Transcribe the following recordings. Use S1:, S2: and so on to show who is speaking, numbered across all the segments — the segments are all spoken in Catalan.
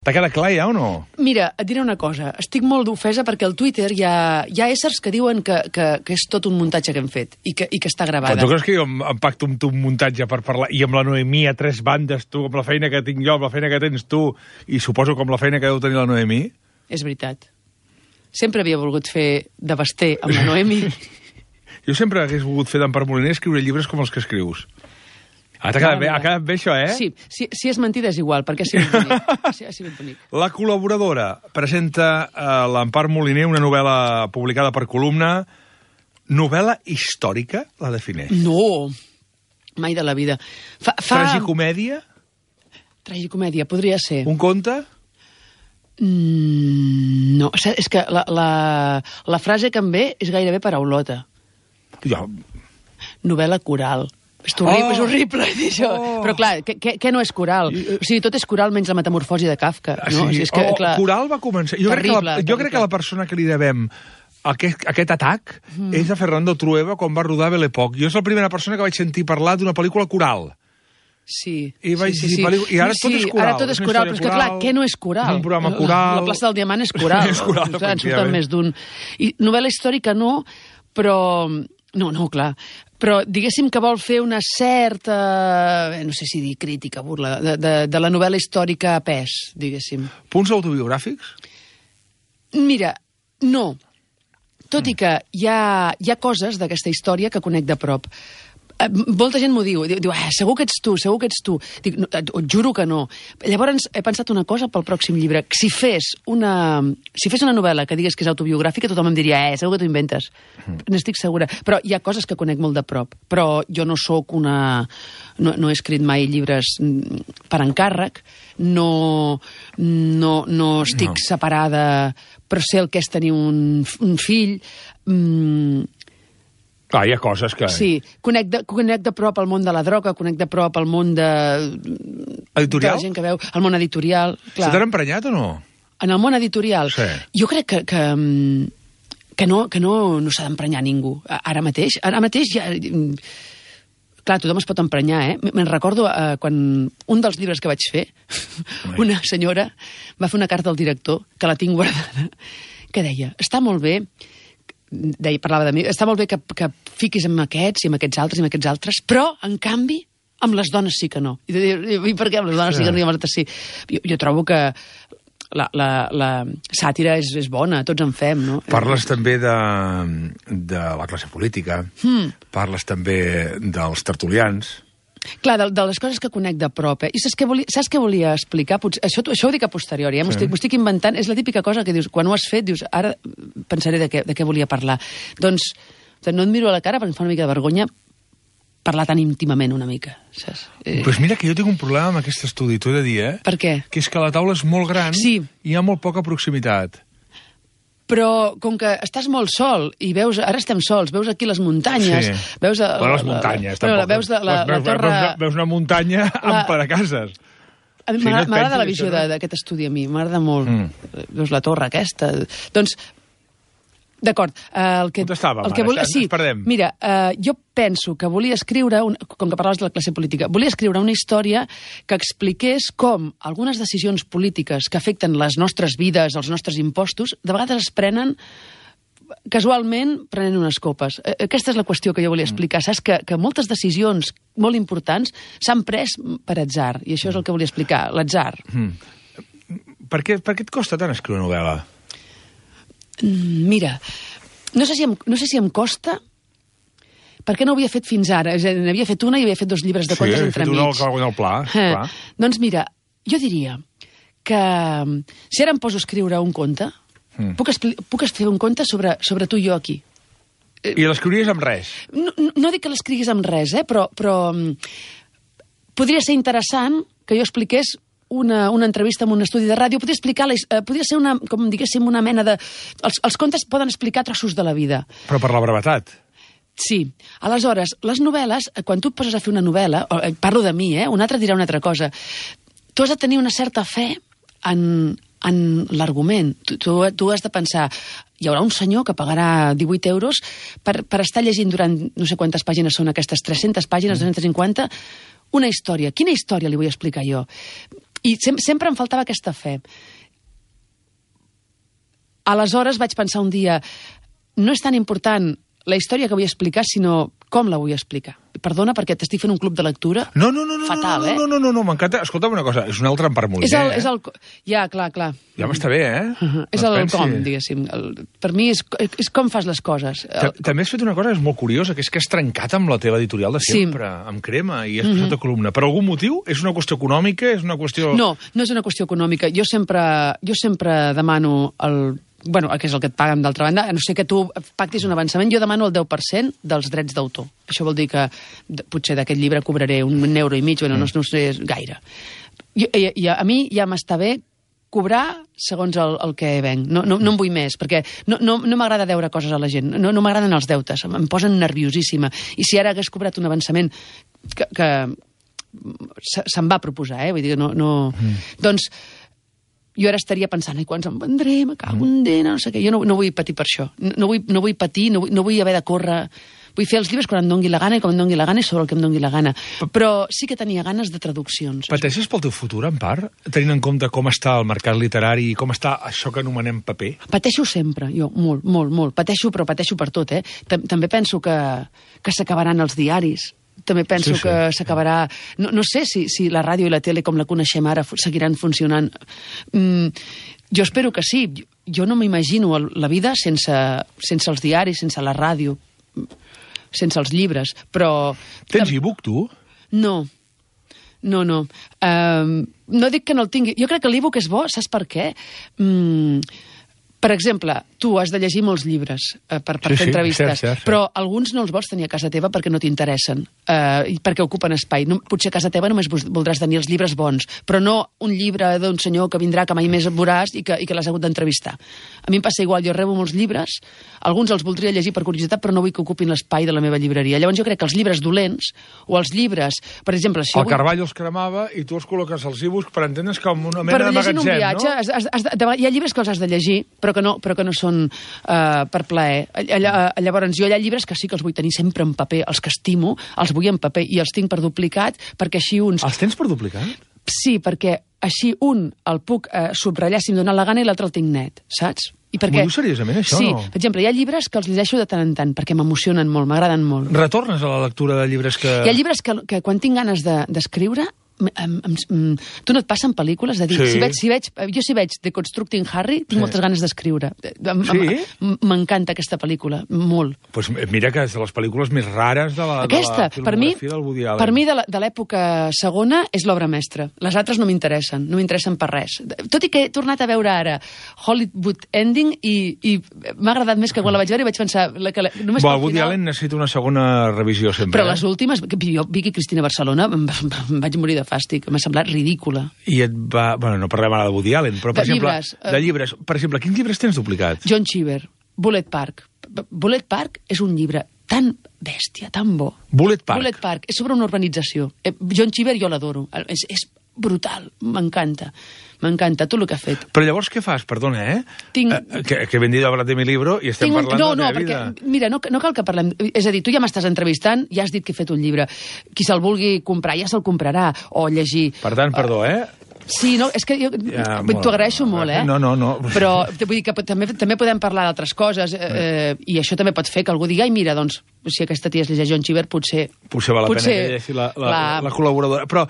S1: T'ha quedat clar ja o no?
S2: Mira, et diré una cosa. Estic molt ofesa perquè al Twitter hi ha éssers que diuen que és tot un muntatge que hem fet i que està gravada.
S1: Però tu creus que jo em pacto amb tu un muntatge per parlar, i amb la Noemí a 3 bandes, tu, amb la feina que tinc jo, amb la feina que tens tu, i suposo com la feina que deu tenir la Noemí?
S2: És veritat. Sempre havia volgut fer de Basté amb la Noemí.
S1: Jo sempre hagués volgut fer d'Empar Moliner escriure llibres com els que escrius. Ha quedat bé això, eh?
S2: Sí, si és mentida és igual, perquè ha sigut bonic. Ha sigut bonic.
S1: La col·laboradora presenta a l'Empar Moliner una novel·la publicada per Columna. Novel·la històrica, la defineix?
S2: No, mai de la vida.
S1: Tragicomèdia?
S2: Tragicomèdia, podria ser.
S1: Un conte?
S2: No, és que la frase que em ve és gairebé paraulota.
S1: Jo...
S2: Novel·la coral. És horrible dir això. Però clar, què no és coral? O sigui, tot és coral menys la metamorfosi de Kafka. No?
S1: Sí.
S2: O sigui, és que, clar,
S1: coral va començar... Jo crec que la persona que li devem aquest atac és a Fernando Trueba quan va rodar Belle Époque. Jo és la primera persona que vaig sentir parlar d'una pel·lícula coral.
S2: Sí.
S1: I ara tot és coral.
S2: Ara tot és coral, però és que clar, què no és coral?
S1: Un programa coral...
S2: La plaça del Diamant és coral.
S1: És coral,
S2: en surten més d'un. I novel·la històrica no, però... No, clar. Però diguéssim que vol fer una certa, no sé si dir crítica, burla, de la novel·la històrica a pes, diguéssim.
S1: Punts autobiogràfics?
S2: Mira, no. Tot i que hi ha coses d'aquesta història que conec de prop. Molta gent m'ho diu, segur que ets tu. Dic, no, et juro que no. Llavors he pensat una cosa pel pròxim llibre. Si fes una novel·la que digués que és autobiogràfica, tothom em diria, segur que t'ho inventes. N'estic segura. Però hi ha coses que conec molt de prop. Però jo no sóc una... No he escrit mai llibres per encàrrec, no estic separada, però sé el que és tenir un fill...
S1: Clar, hi ha coses que...
S2: Sí, conec de prop el món de la droga, conec de prop el món de...
S1: Editorial?
S2: De la gent que veu, el món editorial. Clar.
S1: Se t'han emprenyat o no?
S2: En el món editorial?
S1: Sí.
S2: Jo crec que no s'ha d'emprenyar ningú. Ara mateix ja... Clar, tothom es pot emprenyar, eh? Me'n recordo quan un dels llibres que vaig fer, una senyora va fer una carta al director, que la tinc guardada, que deia, està molt bé... parlava de mi, està molt bé que fiquis amb aquests i amb aquests altres, però, en canvi, amb les dones sí que no. I per què amb les dones sí que no i amb les altres sí? Jo trobo que la sàtira és bona, tots en fem, no?
S1: Parles també de la classe política, parles també dels tertulians...
S2: Clar, de les coses que conec de prop, I saps què volia explicar? Això ho dic a posteriori, m'ho estic inventant. És la típica cosa que dius, quan ho has fet, dius, ara pensaré de què volia parlar. Doncs no et miro a la cara perquè em fa una mica de vergonya parlar tan íntimament una mica, saps?
S1: Pues mira que jo tinc un problema amb aquest estudi, t'ho he de dir,
S2: Per què?
S1: Que és que la taula és molt gran i hi ha molt poca proximitat.
S2: Però com que estàs molt sol i veus, ara estem sols, veus aquí les muntanyes, veus...
S1: les muntanyes, tampoc.
S2: Veus la torre...
S1: Veus una muntanya amb paracases.
S2: A mi m'agrada la visió d'aquest estudi, a mi, m'agrada molt. Veus la torre aquesta... Doncs, d'acord,
S1: On estàvem, ara? Ens perdem.
S2: Mira, jo penso que volia escriure, com que parlaves de la classe política, volia escriure una història que expliqués com algunes decisions polítiques que afecten les nostres vides, els nostres impostos, de vegades es prenen casualment prenent unes copes. Aquesta és la qüestió que jo volia explicar. Saps que moltes decisions molt importants s'han pres per atzar, i això és el que volia explicar, l'atzar.
S1: Per què et costa tant escriure novel·la?
S2: Mira, no sé si em costa perquè no ho havia fet fins ara. N'havia fet una i havia fet 2 llibres de contes entremig.
S1: Sí, havia fet una al pla.
S2: Doncs mira, jo diria que si ara em poso a escriure un conte, puc fer un conte sobre tu i jo aquí.
S1: I l'escriuries amb res?
S2: No dic que l'escriguis amb res, però podria ser interessant que jo expliqués una entrevista en un estudi de ràdio, podria ser com diguéssim una mena de... Els contes poden explicar trossos de la vida.
S1: Però per la brevetat.
S2: Sí. Aleshores, les novel·les, quan tu et poses a fer una novel·la, parlo de mi, un altre dirà una altra cosa, tu has de tenir una certa fe en l'argument. Tu has de pensar, hi haurà un senyor que pagarà 18 euros per estar llegint durant no sé quantes pàgines són aquestes, 300 pàgines, 250, una història. Quina història li vull explicar jo? I sempre em faltava aquesta fe. Aleshores vaig pensar un dia, no és tan important la història que vull explicar, sinó com la vull explicar. Perdona, perquè t'estic fent un club de lectura.
S1: No,
S2: fatal,
S1: no, m'encanta. Escolta'm una cosa, és un altre Empar Moliner,
S2: Ja, clar.
S1: Ja m'està bé,
S2: És el com, diguéssim. Per mi és com fas les coses.
S1: També has fet una cosa que és molt curiosa, que és que has trencat amb la teva editorial de sempre, amb Crema, i has passat a columna. Per algun motiu? És una qüestió econòmica? És una qüestió...
S2: No és una qüestió econòmica. Jo sempre demano que és el que et paguen d'altra banda, a no sé que tu pactis un avançament, jo demano el 10% dels drets d'autor. Això vol dir que potser d'aquest llibre cobraré €1,5, no sé gaire. A mi ja m'està bé cobrar segons el que venc. No en vull més, perquè no m'agrada deure coses a la gent. No m'agraden els deutes, em posen nerviosíssima. I si ara hagués cobrat un avançament que se'm va proposar, vull dir que no... Doncs jo ara estaria pensant, quan se'n vendré, me cago en dena, no sé què. Jo no vull patir per això. No vull patir, no vull haver de córrer. Vull fer els llibres quan em dongui la gana i com em dongui la gana i sobre el que em dongui la gana. Però sí que tenia ganes de traduccions.
S1: Pateixes pel teu futur, Empar? Tenint en compte com està el mercat literari i com està això que anomenem paper? Pateixo
S2: sempre, jo, molt. Pateixo, però pateixo per tot, També penso que s'acabaran els diaris. També penso que s'acabarà... No sé si la ràdio i la tele, com la coneixem ara, seguiran funcionant. Jo espero que sí. Jo no m'imagino la vida sense els diaris, sense la ràdio, sense els llibres, però...
S1: Tens e-book, tu?
S2: No. No dic que no el tingui. Jo crec que l'e-book és bo, saps per què? Per exemple, tu has de llegir molts llibres per fer entrevistes, cert. Però alguns no els vols tenir a casa teva perquè no t'interessen, perquè ocupen espai. Potser a casa teva només voldràs tenir els llibres bons, però no un llibre d'un senyor que vindrà, que mai més veuràs i que l'has hagut d'entrevistar. A mi em passa igual, jo rebo molts llibres, alguns els voldria llegir per curiositat, però no vull que ocupin l'espai de la meva llibreria. Llavors jo crec que els llibres dolents, o els llibres, per exemple...
S1: El Carballo els cremava i tu els col·loques als e-books per entendre's com una mena de magatzem, no?
S2: Per llegir un viatge, hi ha llibres que els has de llegir, però que no són per plaer. Llavors, jo hi ha llibres que sí que els vull tenir sempre en paper, els que estimo, els vull en paper i els tinc per duplicat, perquè així uns...
S1: Els tens per duplicat?
S2: Sí, perquè així un el puc subratllar si em dóna la gana i l'altre el tinc net, saps?
S1: M'ho dius seriosament, això?
S2: Sí, per exemple, hi ha llibres que els llegeixo de tant en tant, perquè m'emocionen molt, m'agraden molt.
S1: Retornes a la lectura de llibres que...
S2: Hi ha llibres que quan tinc ganes d'escriure... Tu no et passen pel·lícules de dir, jo si veig The Constructing Harry tinc moltes ganes d'escriure. M'encanta aquesta pel·lícula, molt.
S1: Pues mira que és de les pel·lícules més rares de la filmografia del Woody Allen.
S2: Per mi de l'època segona és l'obra mestra. Les altres no m'interessen per res. Tot i que he tornat a veure ara Hollywood Ending i m'ha agradat més que quan la vaig veure i vaig pensar...
S1: Woody Allen necessita una segona revisió sempre.
S2: Però les últimes, jo Vicky Cristina Barcelona, em vaig morir de fàstic, m'ha semblat ridícula.
S1: I et va... Bueno, no parlem ara de Woody Allen, però, per exemple, de llibres. Per exemple, quins llibres tens duplicats?
S2: John Cheever, Bullet Park. Bullet Park és un llibre tan bèstia, tan bo.
S1: Bullet Park?
S2: Bullet Park, és sobre una urbanització. John Cheever jo l'adoro. És brutal, m'encanta. M'encanta tot el que ha fet.
S1: Però llavors què fas? Perdona, que he vendido a hablar de mi libro i estem parlant de la meva vida.
S2: Mira, no cal que parlem... És a dir, tu ja m'estàs entrevistant, ja has dit que he fet un llibre. Qui se'l vulgui comprar ja se'l comprarà, o llegir.
S1: Per tant, perdó,
S2: Sí, no, és que jo t'ho agraeixo molt,
S1: No.
S2: Però vull dir que també podem parlar d'altres coses, i això també pot fer que algú digui, ai, mira, doncs, si aquesta tia es llegeix John Cheever, potser
S1: val la pena que llegeixi la col·laboradora. Però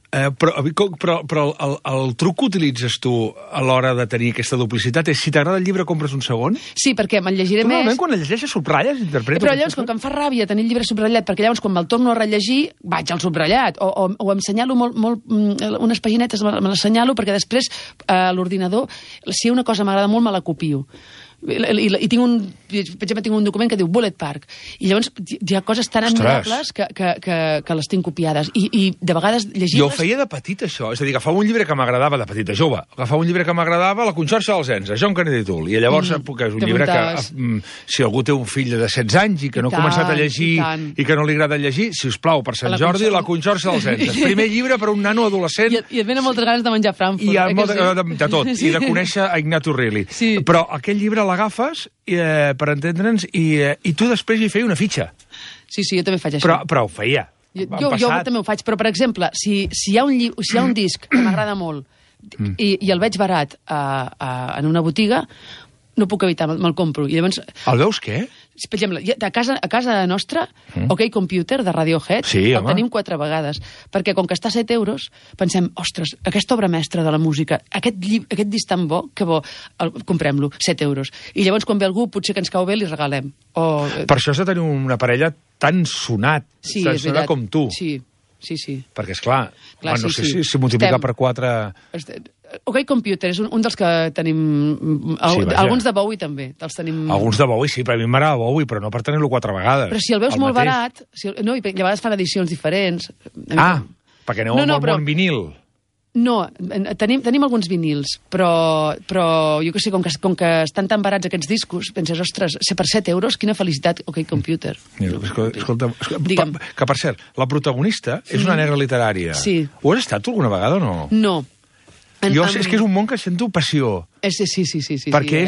S1: Però el truc que utilitzes tu a l'hora de tenir aquesta duplicitat és si t'agrada el llibre compres un segon?
S2: Sí, perquè me'l llegiré més.
S1: Normalment quan el llegeixes subratlles, interpretes...
S2: Però llavors, com que em fa ràbia tenir el llibre subratllat, perquè llavors quan me'l torno a rellegir vaig al subratllat, o em senyalo molt unes paginetes, me les senyalo perquè després a l'ordinador, si una cosa m'agrada molt, me la copio. I tinc per exemple, tinc un document que diu Bullet Park, i llavors hi ha coses tan admirables que les tinc copiades, i de vegades llegir-les...
S1: Jo ho feia de petit, això, és a dir, agafava un llibre que m'agradava de petit, de jove, agafava un llibre que m'agradava, La Conxorxa dels Ens, John Kennedy Toole, i llavors és un llibre que si algú té un fill de 16 anys i que no ha començat a llegir i que no li agrada llegir, si us plau, per Sant Jordi, La Conxorxa dels Ens, el primer llibre per a un nano adolescent,
S2: i et venen moltes ganes de menjar Frankfurt,
S1: de tot, i de conèixer a Ignatu Riley, però aquell llibre l'agafes per entendre'ns i tu després hi feia una fitxa.
S2: Sí, jo també faig això.
S1: Però ho feia.
S2: Jo també ho faig, però, per exemple, si hi ha un disc que m'agrada molt i el veig barat en una botiga, no puc evitar, me'l compro. I llavors...
S1: El veus què?
S2: Per exemple, a casa nostra, OK Computer, de Radiohead, el tenim 4 vegades, perquè com que està a 7 euros, pensem, ostres, aquesta obra mestra de la música, aquest disc tan bo, que bo, comprem-lo, 7 euros. I llavors, quan ve algú, potser que ens cau bé, li regalem.
S1: Per això has de tenir una parella tan sonat, tan sonat com tu.
S2: Sí.
S1: Perquè, esclar, no sé si multiplicar per 4...
S2: OK Computer és un dels que tenim... Alguns de Bowie també.
S1: Alguns de Bowie, sí, però a mi m'agrada Bowie, però no per tenir-lo 4 vegades.
S2: Però si el veus molt barat... No, i a vegades fan edicions diferents.
S1: Perquè aneu amb el món vinil.
S2: No, tenim alguns vinils, però jo que sé, com que estan tan barats aquests discos, penses, ostres, per 7 euros, quina felicitat, OK Computer.
S1: Escolta, que per cert, la protagonista és una negra literària.
S2: Sí.
S1: Ho has estat tu alguna vegada o no?
S2: No.
S1: És que és un món que sento passió.
S2: Sí.
S1: Perquè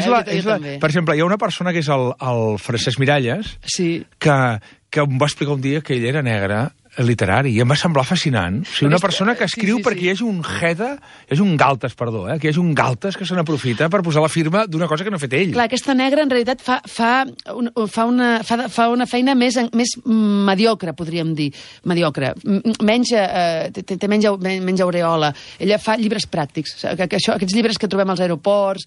S1: per exemple, hi ha una persona que és el Francesc Miralles, que em va explicar un dia que ell era negre literari, i em va semblar fascinant. O sigui, una persona que escriu perquè hi hagi un galtes, que hi hagi un galtes que se n'aprofita per posar la firma d'una cosa que no ha fet ell.
S2: Clar, aquesta negra en realitat fa una feina més mediocre, podríem dir. Mediocre. Té menys aureola. Ella fa llibres pràctics. Aquests llibres que trobem als aeroports,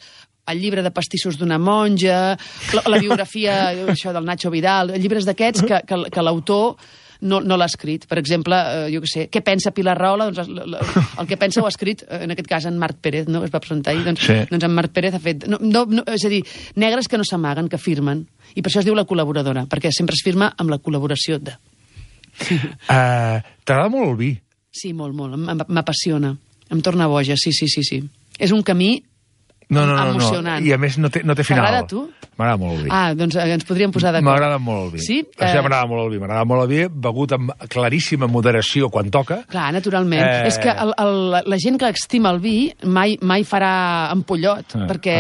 S2: el llibre de pastissos d'una monja, la biografia del Nacho Vidal, llibres d'aquests que l'autor no l'ha escrit. Per exemple, jo què sé, què pensa Pilar Rahola? Doncs el que pensa ho ha escrit, en aquest cas, en Marc Pérez, no? Es va presentar ahir. Doncs en Marc Pérez ha fet... És a dir, negres que no s'amaguen, que firmen. I per això es diu la col·laboradora, perquè sempre es firma amb la col·laboració de...
S1: T'agrada molt el vi?
S2: Sí, molt. M'apassiona. Em torna boja, sí. És un camí... emocionant.
S1: I a més no té final.
S2: T'agrada a tu?
S1: M'agrada molt el vi.
S2: Doncs ens podríem posar d'acord.
S1: M'agrada molt el vi.
S2: Sí?
S1: M'agrada molt el vi, begut amb claríssima moderació quan toca.
S2: Clar, naturalment. És que la gent que estima el vi mai farà ampollot, perquè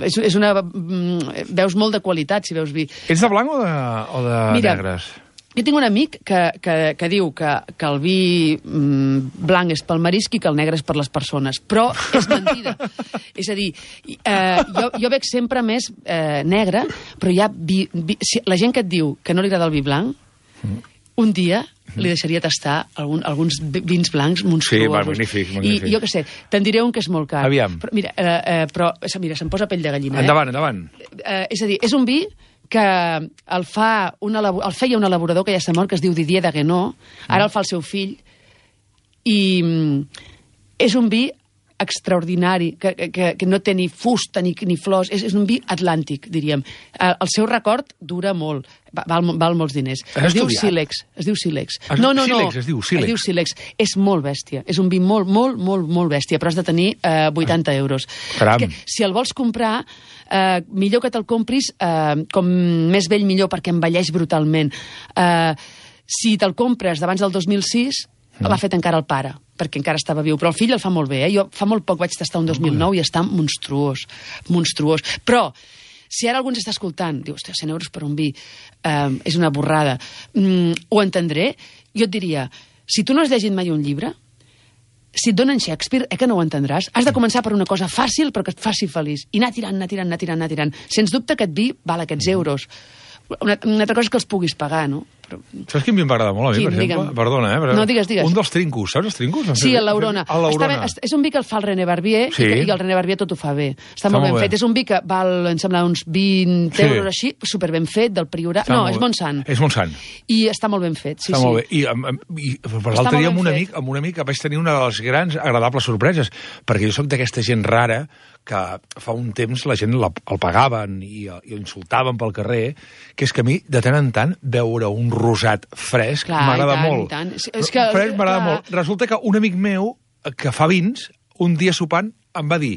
S2: és una... Veus molt de qualitat si veus vi.
S1: Ets de blanc o de negres?
S2: Jo tinc un amic que diu que el vi blanc és pel marisc i que el negre és per les persones, però és mentida. És a dir, jo veig sempre més negre, però hi ha la gent que et diu que no li agrada el vi blanc, un dia li deixaria tastar alguns vins blancs monstruosos.
S1: Sí, magnífic.
S2: I jo què sé, te'n diré un que és molt car.
S1: Aviam.
S2: Però mira, se'm posa pell de gallina.
S1: Endavant.
S2: És a dir, és un vi que el feia un elaborador que ja s'ha mort, que es diu Didier Daguenot, ara el fa el seu fill, i és un vi extraordinari, que no té ni fusta ni flors, és un vi atlàntic, diríem. El seu record dura molt, val molts diners. Es diu Sílex. No.
S1: Es diu
S2: Sílex. És molt bèstia. És un vi molt bèstia, però has de tenir 80 euros.
S1: Caram.
S2: Si el vols comprar, millor que te'l compris com més vell millor, perquè envelleix brutalment. Si te'l compres d'abans del 2006, l'ha fet encara el pare, perquè encara estava viu, però el fill el fa molt bé. Jo fa molt poc vaig tastar un 2009 i està monstruós. Però si ara algú ens està escoltant, diu, hòstia, 100 euros per un vi, és una borrada, ho entendré. Jo et diria, si tu no has llegit mai un llibre, si et donen Shakespeare, que no ho entendràs, has de començar per una cosa fàcil però que et faci feliç, i anar tirant. Sens dubte aquest vi val aquests euros. Una altra cosa és que els puguis pagar, no?
S1: Saps quin vi m'agrada molt a mi, per exemple? Perdona,
S2: No, digues.
S1: Un dels Trincos, saps els Trincos?
S2: Sí, el Laurona. És un vi que el fa el René Barbier, i el René Barbier tot ho fa bé. Està molt ben fet. És un vi que val, em sembla, uns 20 euros així, super ben fet, del Priorat. No, és Montsant.
S1: És Montsant.
S2: I està molt ben fet, sí.
S1: Està molt bé. I per l'altre dia amb un amic vaig tenir una de les grans agradables sorpreses, perquè jo soc d'aquesta gent rara que fa un temps la gent el pagaven i insultaven pel carrer, que és que a mi, de tant en tant, veure un rosat fresc m'agrada molt. Fresc m'agrada molt. Resulta que un amic meu, que fa vins, un dia sopant em va dir,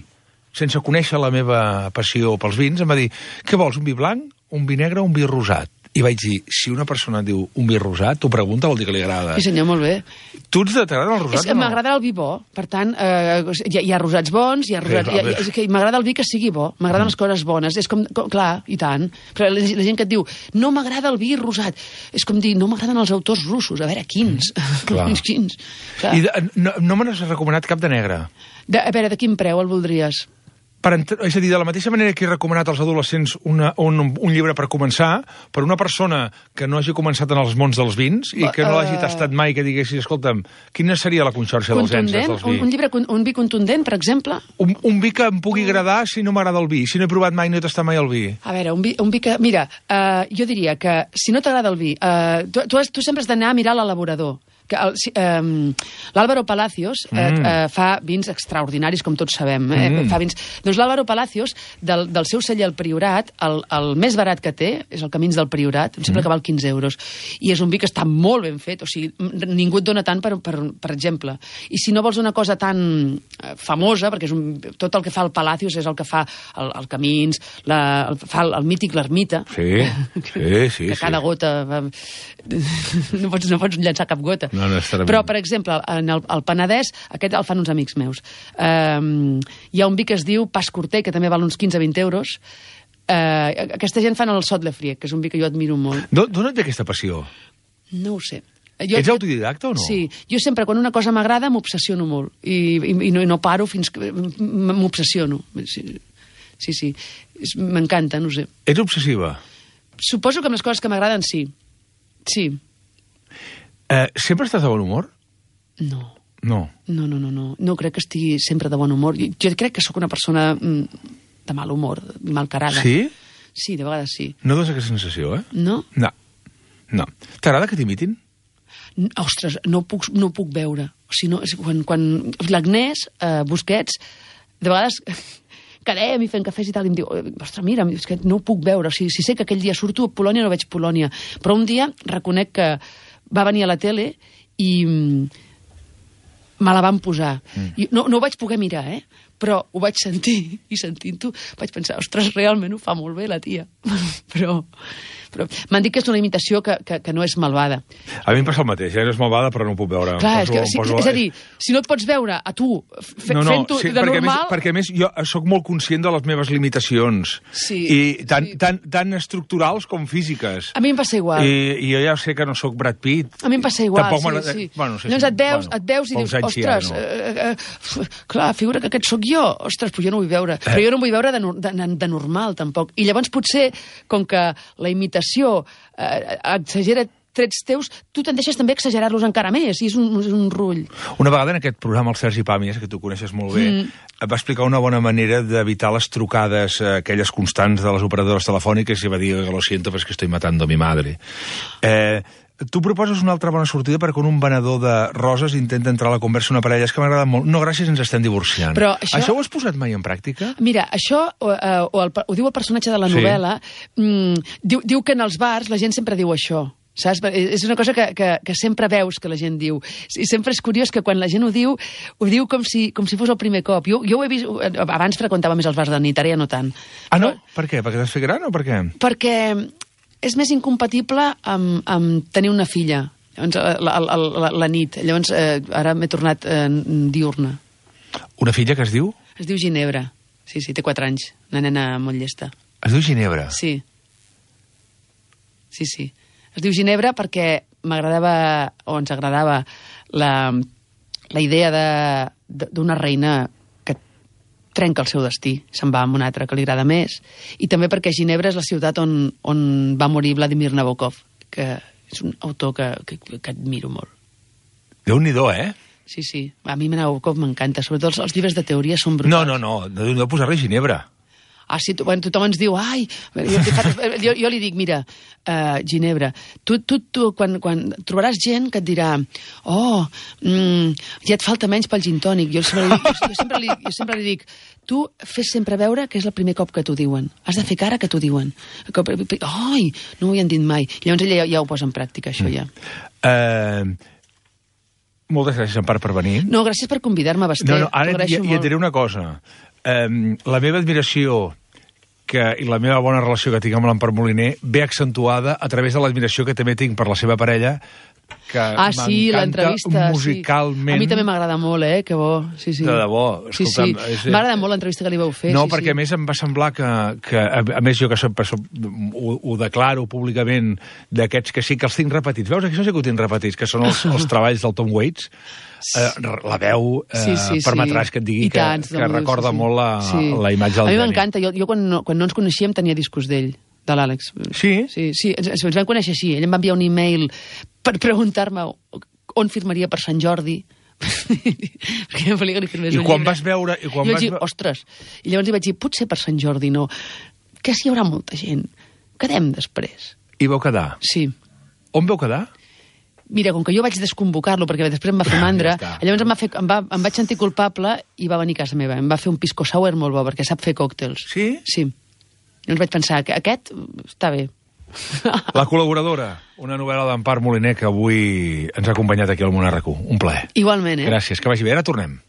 S1: sense conèixer la meva passió pels vins, em va dir, què vols, un vi blanc, un vi negre o un vi rosat? i vaig dir, si una persona diu un vi rosat, t'ho pregunta, vol dir que li agrada.
S2: Sí, senyor, molt bé.
S1: Tu t'agrada el rosat
S2: o no? M'agrada el vi bo, per tant, hi ha rosats bons, m'agrada el vi que sigui bo, m'agraden les coses bones, és com, clar, i tant, però la gent que et diu, no m'agrada el vi rosat, és com dir, no m'agraden els autors russos, a veure, quins? Quins?
S1: I no me n'has recomanat cap de negre?
S2: A veure, de quin preu el voldries?
S1: És a dir, de la mateixa manera que he recomanat als adolescents un llibre per començar, per una persona que no hagi començat en els mons dels vins i que no l'hagi tastat mai, que diguessis, escolta'm, quina seria la conxorxa dels enses dels vi?
S2: Un vi contundent, per exemple?
S1: Un vi que em pugui agradar si no m'agrada el vi, si no he provat mai, no he tastat mai el vi.
S2: A veure, un vi que... Mira, jo diria que si no t'agrada el vi, tu sempre has d'anar a mirar l'elaborador. L'Álvaro Palacios fa vins extraordinaris, com tots sabem. Fa vins... Doncs l'Álvaro Palacios, del seu celler al Priorat, el més barat que té és el Camins del Priorat, em sembla que val 15 euros. I és un vi que està molt ben fet, o sigui, ningú et dona tant, per exemple. I si no vols una cosa tan famosa, perquè tot el que fa el Palacios és el que fa el Camins, fa el mític l'Ermita.
S1: Sí.
S2: Que cada gota... No pots llançar cap gota. Però, per exemple, al Penedès, aquest el fan uns amics meus. Hi ha un vi que es diu Pas Corter, que també val uns 15-20 euros. Aquesta gent fan el Sot Le Friec, que és un vi que jo admiro molt.
S1: D'on et ve aquesta passió?
S2: No ho sé.
S1: Ets autodidacta o no?
S2: Sí. Jo sempre, quan una cosa m'agrada, m'obsessiono molt. I no paro fins que m'obsessiono. Sí. M'encanta, no sé.
S1: Ets obsessiva?
S2: Suposo que amb les coses que m'agraden, sí. Sí.
S1: Sempre estàs de bon humor?
S2: No.
S1: No.
S2: No crec que estigui sempre de bon humor. Jo crec que sóc una persona de mal humor, malcarada.
S1: Sí?
S2: Sí, de vegades sí.
S1: No dones aquesta sensació, eh?
S2: No?
S1: No. T'agrada que t'imitin?
S2: Ostres, no puc veure. O sigui, quan l'Agnès Busquets, de vegades quedem i fem cafès i tal, i em diu, ostres, mira, és que no ho puc veure. O sigui, si sé que aquell dia surto a Polònia, no veig Polònia. Però un dia reconec que va venir a la tele i me la van posar. No ho vaig poder mirar, però ho vaig sentir, i sentint-ho vaig pensar, ostres, realment ho fa molt bé la tia. Però m'han dit que és una imitació que no és malvada.
S1: A mi em passa el mateix, no és malvada, però no ho puc veure.
S2: Clar, és a dir, si no et pots veure a tu fent-ho de normal...
S1: Perquè a més jo sóc molt conscient de les meves limitacions.
S2: Sí.
S1: I tant estructurals com físiques.
S2: A mi em passa igual.
S1: I jo ja sé que no sóc Brad Pitt.
S2: A mi em passa igual, sí.
S1: Llavors
S2: et veus i dius, ostres, clar, figura que aquest sóc jo. Ostres, però jo no ho vull veure. Però jo no ho vull veure de normal, tampoc. I llavors potser, com que la imitació exagera trets teus, tu tendeixes també a exagerar-los encara més, i és un rull.
S1: Una vegada en aquest programa el Sergi Pàmies, que tu coneixes molt bé, va explicar una bona manera d'evitar les trucades aquelles constants de les operadores telefòniques i va dir, lo siento, però és que estoy matando a mi madre. Tu proposes una altra bona sortida per quan un venedor de roses intenta entrar a la conversa una parella. És que m'agrada molt. No, gràcies, ens estem divorciant.
S2: Però
S1: això ho has posat mai en pràctica?
S2: Mira, això ho diu el personatge de la novel·la. Diu que en els bars la gent sempre diu això. Saps? És una cosa que sempre veus que la gent diu. I sempre és curiós que quan la gent ho diu com si fos el primer cop. Jo ho he vist... Abans freqüentava més els bars de nit, ara ja no tant.
S1: Ah, no? Per què? Perquè t'has fet gran o per què?
S2: Perquè és més incompatible amb tenir una filla. Llavors, la nit. Llavors, ara m'he tornat diurna.
S1: Una filla que es diu?
S2: Es diu Ginebra. Sí, té 4 anys. Una nena molt llesta.
S1: Es diu Ginebra?
S2: Sí. Es diu Ginebra perquè m'agradava, o ens agradava, la idea d'una reina que trenca el seu destí, se'n va amb una altra que li agrada més, i també perquè Ginebra és la ciutat on va morir Vladimir Nabokov, que és un autor que admiro molt.
S1: Déu-n'hi-do,
S2: Sí. A mi Nabokov m'encanta, sobretot els llibres de teoria són brutals.
S1: No posar-li Ginebra.
S2: Ah, sí, tothom ens diu, ai... Jo li dic, mira, Ginebra, tu quan trobaràs gent que et dirà, ja et falta menys pel gin tònic. Jo sempre li dic, tu fes sempre veure que és el primer cop que t'ho diuen. Has de fer cara que t'ho diuen. Ai, no ho havien dit mai. Llavors ella ja ho posa en pràctica, això ja.
S1: Moltes gràcies, Empar, per venir.
S2: No, gràcies per convidar-me, Basté.
S1: Ara ja et diré una cosa. La meva admiració i la meva bona relació que tinc amb l'Empar Moliner ve accentuada a través de l'admiració que també tinc per la seva parella, que
S2: sí, l'entrevista
S1: musicalment.
S2: Sí. A mi també m'agrada molt, que bo. Sí, sí.
S1: De debò.
S2: Escolta'm, m'agrada molt l'entrevista que li vau fer.
S1: No, perquè a més em va semblar que a més jo que ho declaro públicament d'aquests que sí que els tinc repetits. Veus, això sí que ho tinc repetits, que són els treballs del Tom Waits. La veu permetràs que et digui que recorda molt la imatge del
S2: geni. A mi
S1: m'encanta.
S2: Jo quan no ens coneixíem tenia discos d'ell, de l'Àlex.
S1: Sí?
S2: Sí, ens vam conèixer així. Ell em va enviar un e-mail per preguntar-me on firmaria per Sant Jordi. Perquè em volia que li firmés un llibre.
S1: I quan vas veure...
S2: I vaig dir, ostres. I llavors li vaig dir, potser per Sant Jordi no. Que si hi haurà molta gent. Quedem després.
S1: I vau quedar?
S2: Sí.
S1: On vau quedar?
S2: Mira, com que jo vaig desconvocar-lo, perquè després em va fer mandra, llavors em vaig sentir culpable i va venir a casa meva. Em va fer un pisco sour molt bo, perquè sap fer còctels.
S1: Sí?
S2: Sí. Llavors vaig pensar que aquest està bé.
S1: La col·laboradora, una novel·la d'Empar Moliner que avui ens ha acompanyat aquí al Món RQ. Un plaer.
S2: Igualment,
S1: Gràcies, que vagi bé. Ara tornem.